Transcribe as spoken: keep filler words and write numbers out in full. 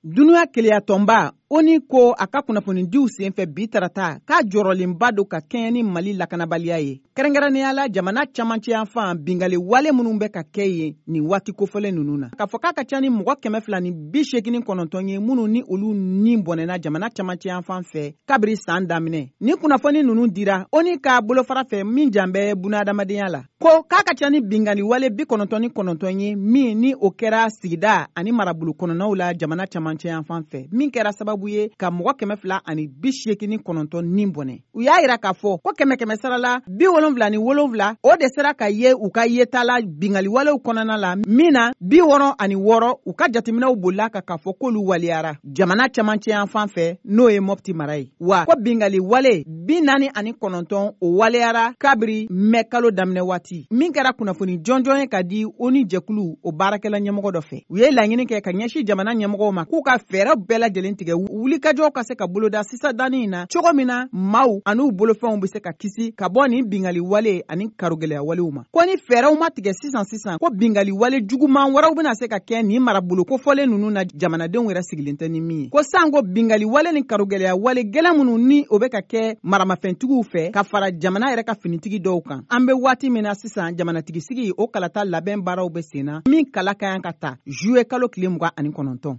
Dunuya keleyatɔnba O N U ko a ka kunnafonidiw senfɛ bi tarata k'a jɔrɔlenba don ka kɛɲɛ ni Mali lakanabaliya ye, kɛrɛnkɛrɛnnenya la jamana camancɛ yanfan, bingali wale minnu bɛ ka kɛ yen nin waati kofɔlen ninnu na, k'a fɔ k'a ka ca ni mɔgɔ kɛmɛ fila ni bi seegin kɔnɔntɔn ye minnu ni olu ni bɔnɛna jamana camancɛ yanfan fɛ kabiri san daminɛ. Ni kunnafoni ninnu dira O N U ka bolofara fɛ min jan bɛ bunahadamadenya la, ko k'a ka ca ni bingali wale bi kɔnɔntɔn ni kɔnɔntɔn ye min ni o kɛra sigida ani marabolo kɔnɔnaw la jamana camancɛ yanfan fɛ, min kɛra sababu ye ka mɔgɔ kɛmɛ fila ani bi seegin ni kɔnɔntɔn ni bɔnɛ. U y'a yira k'a fɔ ko kɛmɛ kɛmɛ sara la, bi wolonfila ni wolonfila o de sera ka ye u ka yeta la bingali walew kɔnɔna la, min na bi wɔɔrɔ ani wɔɔrɔ, u ka jateminɛw bolila kan k'a fɔ k'olu waleyara jamana camancɛ yanfan fɛ, n'o ye Mɔpti mara ye. Wa ko bingali wale bi naani ani kɔnɔntɔn o waleyara kabiri mɛ kalo daminɛ waati, min kɛra kunnafoni jɔnjɔn ye ka di O N U jɛkulu o baarakɛla ɲɛmɔgɔ dɔ fɛ. U ye laɲini kɛ ka ɲɛsin jamana ɲɛmɔgɔw ma k'u ka fɛɛrɛ bɛɛ lajɛlen tigɛ, wulikajɔw ka se ka boloda sisan danni in na, cogo min na maaw an'u bolofɛnw bɛ se ka kisi ka bɔ nin bingali wale ani karogɛlɛya walew ma. Ko ni fɛɛrɛw ma tigɛ sisan sisan, ko bingali wale juguman wɛrɛw bɛna se ka kɛ nin marabolo kofɔlen ninnu na, jamanadenw yɛrɛ sigilen tɛ ni min ye. Ko sanko bingali wale ni karogɛlɛya wale gɛlɛn minnu ni o bɛ ka kɛ maramafɛntigiw fɛ ka fara jamana yɛrɛ ka finitigi dɔw kan, an bɛ waati min na sisan, jamanatigisigi o kalata labɛn baaraw bɛ sen na, min kala ka kan ka ta zuwe kalo tile mugan ani kɔnɔntɔn.